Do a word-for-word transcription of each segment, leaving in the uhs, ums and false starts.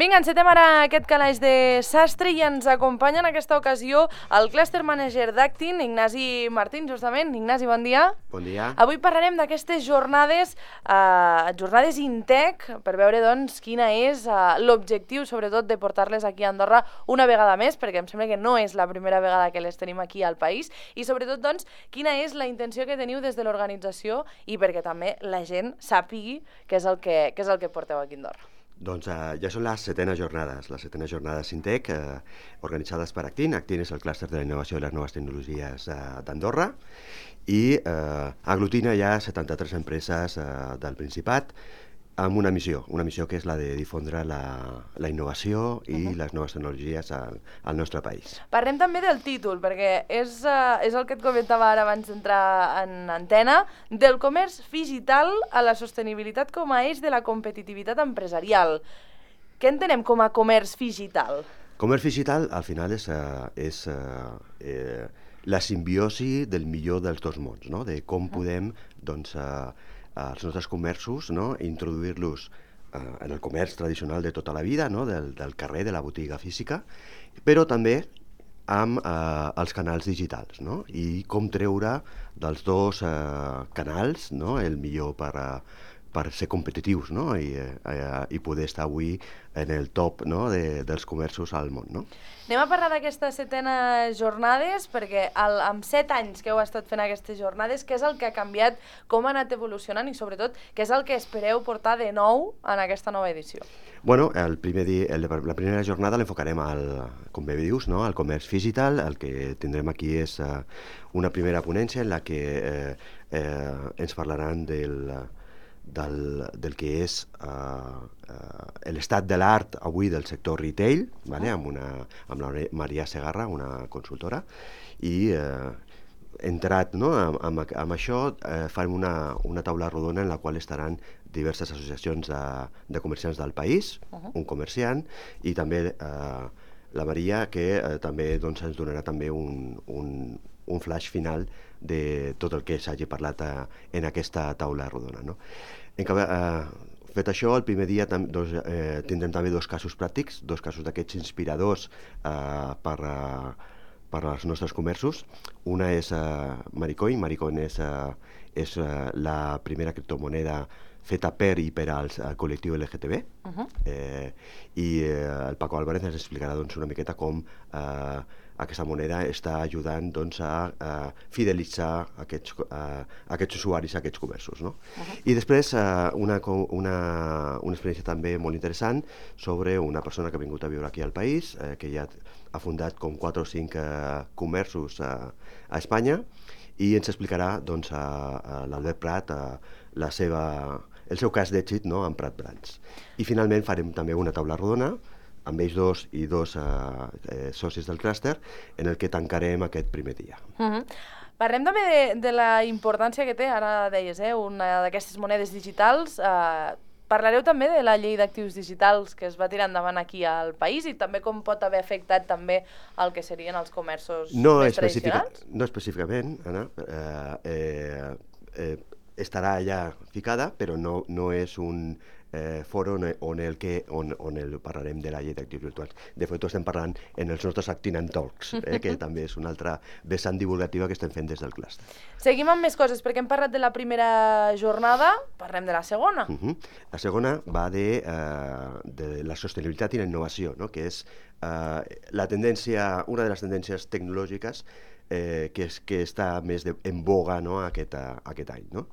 Vinga, encetem ara aquest calaix de sastre i ens acompanya en aquesta ocasió el Cluster Manager d'Actin, Ignasi Martín, justament. Ignasi, bon dia. Bon dia. Avui parlarem d'aquestes jornades, eh, jornades Intec, per veure doncs quina és eh, l'objectiu, sobretot, de portar-les aquí a Andorra una vegada més, perquè em sembla que no és la primera vegada que les tenim aquí al país, i sobretot, doncs, quina és la intenció que teniu des de l'organització i perquè també la gent sàpigui què és el que, què és el que porteu aquí a Andorra. Doncs uh, ja són les setenes jornades, les setenes jornades Intec, eh, organitzades per Actin. Actin és el clúster de la innovació i les noves tecnologies eh, d'Andorra i eh, aglutina ja setanta-tres empreses eh, del Principat amb una missió, una missió que és la de difondre la, la innovació i uh-huh. les noves tecnologies al, al nostre país. Parlem també del títol, perquè és, uh, és el que et comentava ara abans d'entrar en antena, del comerç digital a la sostenibilitat com a eix de la competitivitat empresarial. Què entenem com a comerç digital? Comerç digital, al final, és, uh, és uh, eh, la simbiosi del millor dels dos mons, no? De com podem, doncs, uh, els nostres comerços, no? Introduir-los eh, en el comerç tradicional de tota la vida, no? del, del carrer, de la botiga física, però també amb eh, els canals digitals, no? I com treure dels dos eh, canals, no? El millor per, uh, per ser competitius, no? I, eh, i poder estar avui en el top, no? de, dels comerços al món. No? Anem a parlar d'aquestes setenes jornades, perquè el, amb set anys que heu estat fent aquestes jornades, què és el que ha canviat, com ha anat evolucionant i sobretot què és el que espereu portar de nou en aquesta nova edició? Bueno, el primer dia, el, la primera jornada l'enfocarem al, com bé dius, no? Al comerç digital. El que tindrem aquí és uh, una primera ponència en la que eh, eh, ens parlaran del Del, del que és uh, uh, l'estat de l'art avui del sector retail, vale? amb, una, amb la Maria Segarra, una consultora, i uh, entrat, no? amb, amb, amb això uh, farem una, una taula rodona en la qual estaran diverses associacions de, de comerciants del país, uh-huh. un comerciant, i també uh, la Maria, que uh, també doncs, ens donarà també un, un, un flash final de tot el que s'hagi parlat uh, en aquesta taula rodona. No? En que, eh, fet això, el primer dia tam, doncs, eh, tindrem també dos casos pràctics, dos casos d'aquests inspiradors eh, per, uh, per als nostres comerços. Una és uh, Maricoin. Maricoin és, uh, és uh, la primera criptomoneda feta per i per al col·lectiu L G T B. Uh-huh. eh, I eh, el Paco Álvarez ens explicarà doncs, una miqueta com eh, aquesta moneda està ajudant doncs, a, a fidelitzar aquests, a, aquests usuaris, aquests comerços. No? Uh-huh. I després uh, una, una, una experiència també molt interessant sobre una persona que ha vingut a viure aquí al país, eh, que ja ha fundat com quatre o cinc uh, comerços uh, a Espanya, i ens explicarà doncs, a, a l'Albert Prat a, la seva, el seu cas d'èxit, no? amb Prat Brands. I finalment farem també una taula rodona amb ells dos i dos eh, eh, socis del clúster, en el que tancarem aquest primer dia. Uh-huh. Parlem també de, de la importància que té, ara deies, eh, una d'aquestes monedes digitals. Eh, parlareu també de la llei d'actius digitals que es va tirar endavant aquí al país i també com pot haver afectat també el que serien els comerços no més tradicionals? No específicament, Anna. Eh, eh, eh, estarà allà ficada, però no, no és un eh, foro on, on, el que, on, on el parlarem de la llei d'actius virtuals. De fet, ho estem parlant en els nostres Actin and Talks, eh, que també és una altra vessant divulgativa que estem fent des del clúster. Seguim amb més coses, perquè hem parlat de la primera jornada, parlem de la segona. Uh-huh. La segona va de, uh, de la sostenibilitat i la innovació, no? Que és uh, la tendència, una de les tendències tecnològiques Eh, que, és, que està més de, en boga, no? aquest, uh, aquest any. No?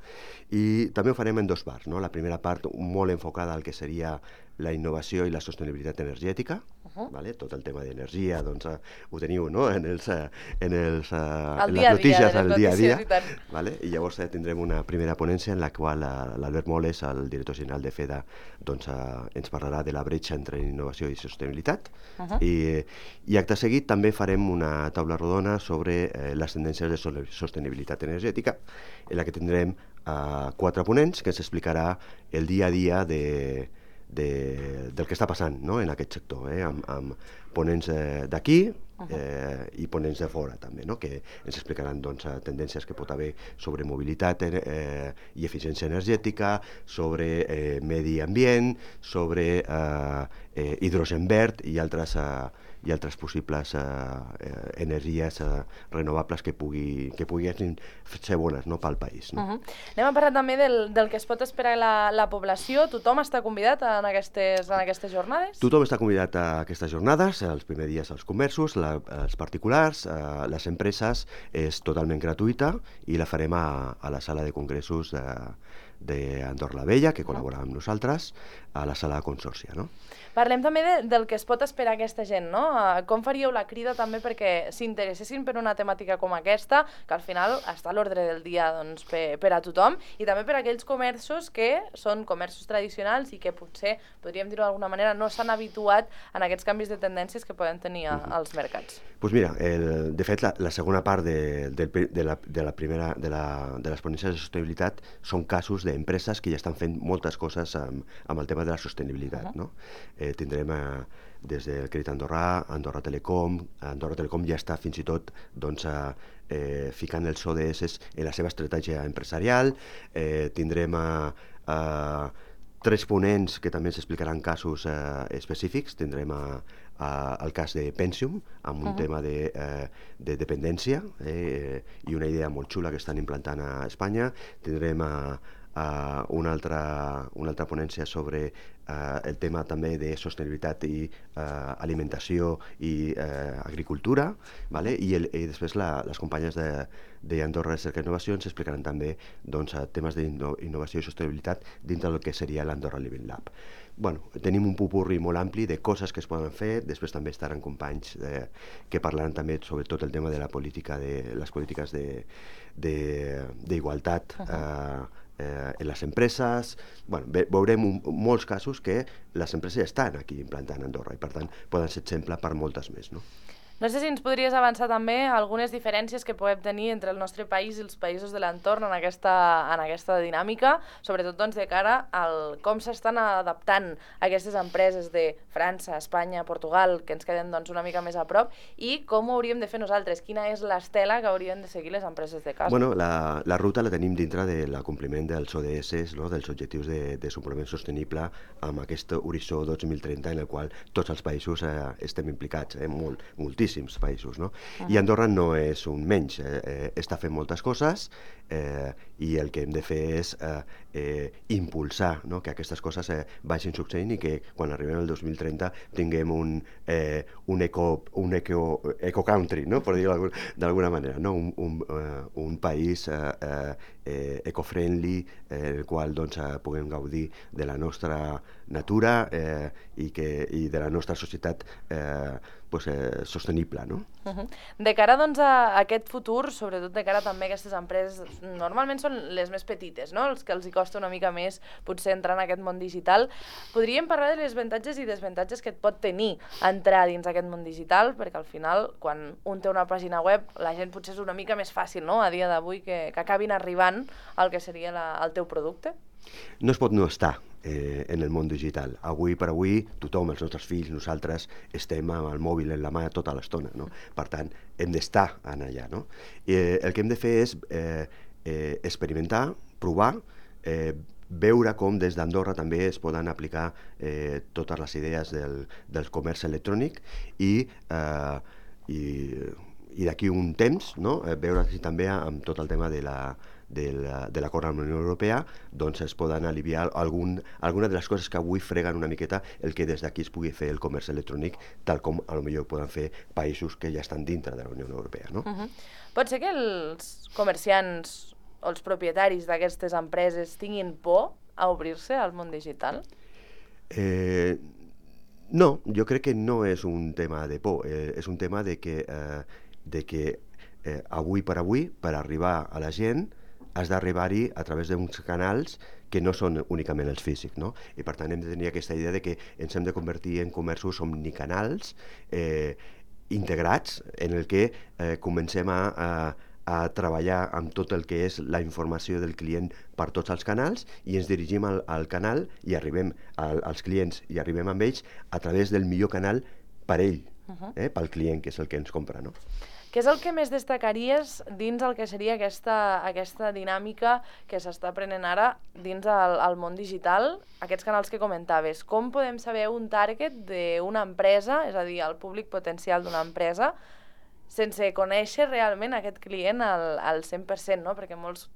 I també ho farem en dos parts. No? La primera part molt enfocada al que seria la innovació i la sostenibilitat energètica. Uh-huh. Vale? Tot el tema d'energia, doncs, uh, ho teniu, no? en, els, uh, en, els, uh, en les notícies del dia a dia. I, vale? I llavors uh, tindrem una primera ponència en la qual uh, l'Albert Moles, el director general de FEDA, doncs, uh, ens parlarà de la bretxa entre innovació i sostenibilitat. Uh-huh. I, I acte seguit també farem una taula rodona sobre eh, les tendències de sostenibilitat energètica, en la que tindrem uh, quatre ponents que ens explicarà el dia a dia de, de, del que està passant, no? en aquest sector, eh? amb, amb ponents eh, d'aquí, eh, i ponents de fora també, no? Que ens explicaran doncs, tendències que pot haver sobre mobilitat eh, i eficiència energètica, sobre eh, medi ambient, sobre eh, eh, hidrogen verd i altres, eh, i altres possibles eh, eh, energies eh, renovables que, pugui, que puguin ser bones, no, pel país. No? Uh -huh. Anem a parlar també del, del que es pot esperar la, la població. Tothom està convidat en aquestes, en aquestes jornades? Tothom està convidat a aquestes jornades, els primers dies els comerços, la, els particulars, eh, les empreses, és totalment gratuïta i la farem a, a la sala de congressos de, d'Andorra la Vella, que col·labora amb nosaltres, a la sala de Consòrcia, no? Parlem també de, del que es pot esperar aquesta gent, no? Com faríeu la crida també perquè s'interessessin per una temàtica com aquesta, que al final està a l'ordre del dia doncs, per, per a tothom, i també per a aquells comerços que són comerços tradicionals i que potser, podríem dir-ho d'alguna manera, no s'han habituat en aquests canvis de tendències que poden tenir als mercats. Doncs pues mira, el, de fet, la, la segona part de, de, de, la, de la primera de, la, de les ponències de sostenibilitat són casos d'empreses que ja estan fent moltes coses amb, amb el tema de la sostenibilitat, uh -huh. no? Eh, tindrem eh, des del Crèdit Andorrà, Andorra Telecom, Andorra Telecom ja està fins i tot doncs, eh, eh, ficant els O D S en la seva estratègia empresarial, eh, tindrem eh, eh, tres ponents que també ens explicaran casos eh, específics, tindrem eh, eh, el cas de Pensium, amb un uh -huh. tema de, eh, de dependència eh, i una idea molt xula que estan implantant a Espanya, tindrem eh, Uh, una, altra, una altra ponència sobre uh, el tema també de sostenibilitat i uh, alimentació i uh, agricultura, vale? I, el, i després la, les companyes d'Andorra Recerca i Innovació ens explicaran també doncs, temes d'innovació i sostenibilitat dintre del que seria l'Andorra Living Lab. Bueno, tenim un popurri molt ampli de coses que es poden fer, després també estaran companys eh, que parlaran també sobre tot el tema de la política, de les polítiques d'igualtat eh, eh, en les empreses. Bueno, veurem un, molts casos que les empreses ja estan aquí implantant a Andorra i per tant poden ser exemple per moltes més, no? No sé si ens podries avançar també algunes diferències que podem tenir entre el nostre país i els països de l'entorn en aquesta, en aquesta dinàmica, sobretot doncs, de cara al com s'estan adaptant aquestes empreses de França, Espanya, Portugal, que ens queden doncs, una mica més a prop, i com ho hauríem de fer nosaltres, quina és l'estela que haurien de seguir les empreses de casa. Bueno, la, la ruta la tenim dintre de l'acompliment dels O D S, no? Dels objectius de desenvolupament sostenible amb aquest horitzó dos mil trenta en el qual tots els països eh, estem implicats, eh, molt, moltíssim països, no? Uh-huh. I Andorra no és un menys, eh, eh, està fent moltes coses eh, i el que hem de fer és eh, eh, impulsar, no? Que aquestes coses eh, vagin succeint i que quan arribem al dos mil trenta tinguem un, eh, un, eco, un eco, eco country, no? Per dir-ho d'alguna manera, no? Un, un, uh, un país eh, eh, eco-friendly eh, en el qual doncs, eh, puguem gaudir de la nostra natura eh, i, que, i de la nostra societat eh, pues, eh, sostenible, no? Uh-huh. De cara doncs, a aquest futur, sobretot de cara també a aquestes empreses, normalment són les més petites, no? Els que els hi costa una mica més potser entrar en aquest món digital. Podríem parlar de les avantatges i desavantatges que et pot tenir entrar dins aquest món digital, perquè al final, quan un té una pàgina web, la gent potser és una mica més fàcil, no?, a dia d'avui, que, que acabin arribant al que seria la, el teu producte. No es pot no estar eh, en el món digital. Avui per avui, tothom, els nostres fills, nosaltres, estem amb el mòbil en la mà tota l'estona, no? Per tant, hem d'estar en allà, no? Eh, el que hem de fer és eh, eh, experimentar, provar, eh, veure com des d'Andorra també es poden aplicar eh, totes les idees del, del comerç electrònic i, eh, i, i d'aquí un temps, no? eh, veure si també amb tot el tema de la de l'acord amb la Unió Europea doncs es poden aliviar algun, alguna de les coses que avui freguen una miqueta el que des d'aquí es pugui fer el comerç electrònic tal com a lo millor poden fer països que ja estan dintre de la Unió Europea, no? Uh-huh. Pot ser que els comerciants o els propietaris d'aquestes empreses tinguin por a obrir-se al món digital? Eh, no, jo crec que no és un tema de por, eh, és un tema de que, eh, de que eh, avui per avui, per arribar a la gent, has d'arribar-hi a través d'uns canals que no són únicament els físics, no? I per tant hem de tenir aquesta idea de que ens hem de convertir en comerços omnicanals eh, integrats en el que eh, comencem a, a, a treballar amb tot el que és la informació del client per tots els canals i ens dirigim al, al canal i arribem al, als clients i arribem amb ells a través del millor canal per ell, Uh-huh. eh, pel client, que és el que ens compra, no? Què és el que més destacaries dins el que seria aquesta, aquesta dinàmica que s'està prenent ara dins el, el món digital, aquests canals que comentaves? Com podem saber un target d'una empresa, és a dir, el públic potencial d'una empresa, sense conèixer realment aquest client al, al cent per cent, no? Perquè molts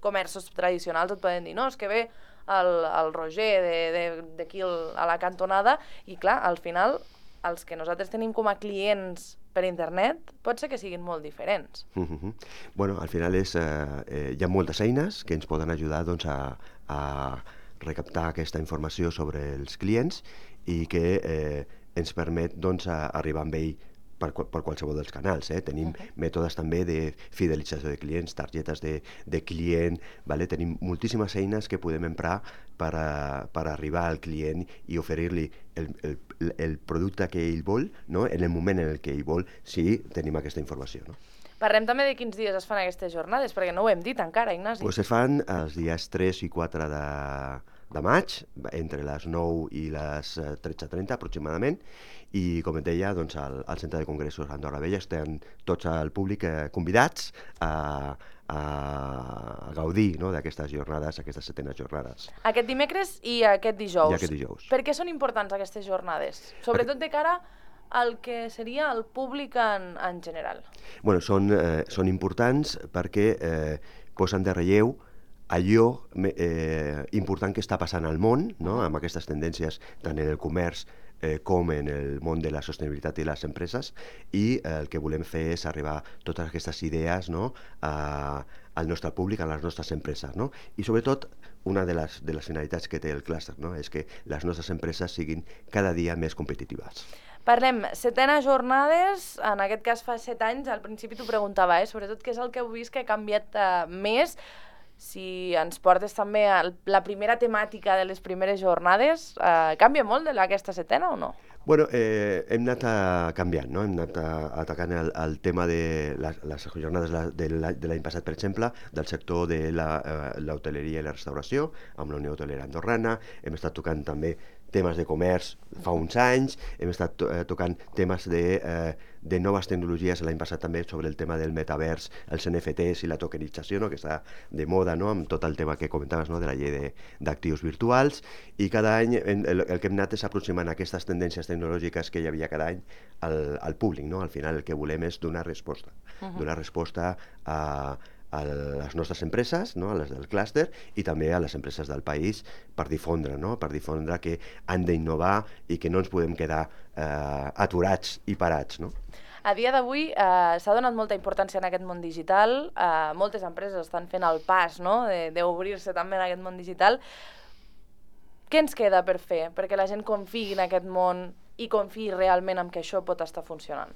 comerços tradicionals et poden dir, no, és que ve el, el Roger d'aquí a la cantonada, i clar, al final els que nosaltres tenim com a clients per internet pot ser que siguin molt diferents. Uh-huh. Bueno, al final és, eh, eh, hi ha moltes eines que ens poden ajudar doncs, a, a recaptar aquesta informació sobre els clients i que eh, ens permet doncs, a arribar amb ell per, per qualsevol dels canals. Eh? Tenim uh-huh. mètodes també de fidelització de clients, targetes de, de client, vale? Tenim moltíssimes eines que podem emprar per, a, per arribar al client i oferir-li el, el, el producte que ell vol, no? En el moment en el que ell vol, si tenim aquesta informació. No? Parlem també de quins dies es fan aquestes jornades, perquè no ho hem dit encara, Ignasi. Pues es fan els dies tres i quatre de, de maig, entre les nou i les tretze trenta aproximadament, i com et deia, doncs, al, al Centre de Congressos d'Andorra Vella estan tots el públic eh, convidats a, a, a gaudir, no?, d'aquestes jornades, aquestes setenes jornades. Aquest dimecres i aquest dijous. I aquest dijous. Per què són importants aquestes jornades? Sobretot de cara al que seria el públic en, en general. Bueno, són, eh, són importants perquè eh, posen de relleu allò eh, important que està passant al món, no?, amb aquestes tendències tant en el comerç eh, com en el món de la sostenibilitat i les empreses, i eh, el que volem fer és arribar totes aquestes idees, no?, a, al nostre públic, a les nostres empreses, no? I sobretot una de les, de les finalitats que té el clúster, no?, és que les nostres empreses siguin cada dia més competitives. Parlem, setenes jornades, en aquest cas fa set anys, al principi t'ho preguntava, eh? Sobretot què és el que heu vist que ha canviat eh, més, si ens portes també a la primera temàtica de les primeres jornades, eh, canvia molt de aquesta setena o no? Bueno, eh, hem anat a canviant, no? Hem anat a, a atacant el, el tema de les, les jornades de l'any passat, per exemple, del sector de l'hoteleria la, eh, i la restauració, amb la Unió Hotelera Andorrana. Hem estat tocant també temes de comerç fa uns anys, hem estat to eh, tocant temes de, eh, de noves tecnologies l'any passat també sobre el tema del metavers, els N F Ts i la tokenització, no?, que està de moda, no?, amb tot el tema que comentaves, no?, de la llei d'actius virtuals, i cada any el, el que hem anat és aproximant aquestes tendències tecnològiques que hi havia cada any al, al públic, no? Al final el que volem és donar resposta, uh-huh. donar resposta a a les nostres empreses, no?, a les del clúster, i també a les empreses del país per difondre, no?, per difondre que han d'innovar i que no ens podem quedar eh, aturats i parats, no? A dia d'avui eh, s'ha donat molta importància en aquest món digital, eh, moltes empreses estan fent el pas, no?, d'obrir-se també en aquest món digital. Què ens queda per fer perquè la gent confiï en aquest món i confiï realment en que això pot estar funcionant?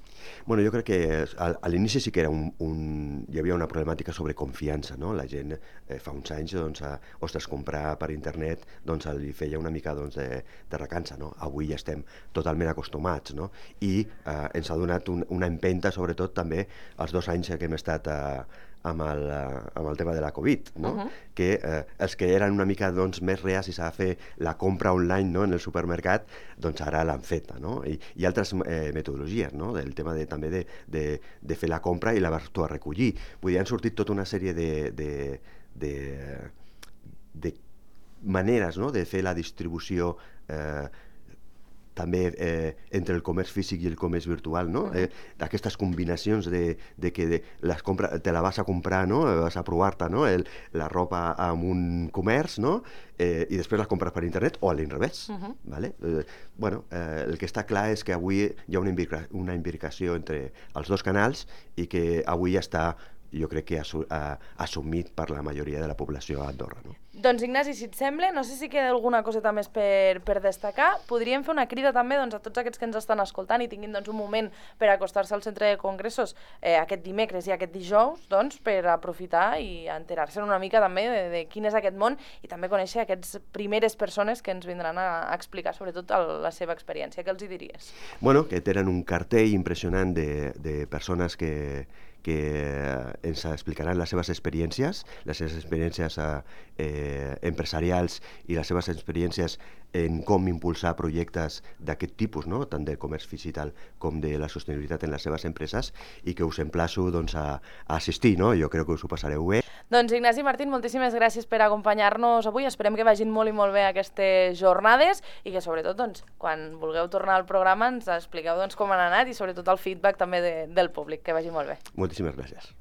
Bueno, jo crec que a, a l'inici sí que era un, un, hi havia una problemàtica sobre confiança, no? La gent eh, fa uns anys, doncs, a, ostres, comprar per internet, doncs, li feia una mica, doncs, de, de recança, no? Avui ja estem totalment acostumats, no? I eh, ens ha donat un, una empenta, sobretot també els dos anys que hem estat a, amb el, amb el tema de la Covid, no? Uh-huh. Que eh, els que eren una mica, doncs, més reacis a fer la compra online, no?, en el supermercat, doncs ara l'han feta, no? I, i altres eh, metodologies, no?, del tema de, també de, de, de fer la compra i la vas tu a recollir. Vull dir, han sortit tota una sèrie de, de, de, de maneres, no?, de fer la distribució eh, també eh, entre el comerç físic i el comerç virtual, no? Uh-huh. eh, aquestes combinacions de, de que de les compra, te la vas a comprar, no?, vas a provar-te, no?, el, la roba amb un comerç, no?, eh, i després la compres per internet o a l'inrevés. Uh-huh. Vale? Eh, bueno, eh, el que està clar és que avui hi ha una, imbrica, una imbricació entre els dos canals i que avui ja està, jo crec que assu uh, assumit per la majoria de la població a Andorra, no? Doncs Ignasi, si et sembla, no sé si queda alguna coseta més per, per destacar, podríem fer una crida també, doncs, a tots aquests que ens estan escoltant i tinguin, doncs, un moment per acostar-se al centre de congressos eh, aquest dimecres i aquest dijous, doncs, per aprofitar i enterar-se una mica també de, de quin és aquest món i també conèixer aquestes primeres persones que ens vindran a, a explicar sobretot el, la seva experiència. Què els hi diries? Bueno, que tenen un cartell impressionant de, de persones que que ens explicaran les seves experiències, les seves experiències eh, empresarials i les seves experiències en com impulsar projectes d'aquest tipus, no? Tant de comerç digital com de la sostenibilitat en les seves empreses, i que us emplaço doncs, a, a assistir, no? Jo crec que us ho passareu bé. Doncs Ignasi Martín, moltíssimes gràcies per acompanyar-nos avui. Esperem que vagin molt i molt bé aquestes jornades i que sobretot doncs, quan vulgueu tornar al programa ens expliqueu doncs, com han anat i sobretot el feedback també de, del públic. Que vagi molt bé. Moltíssimes gràcies.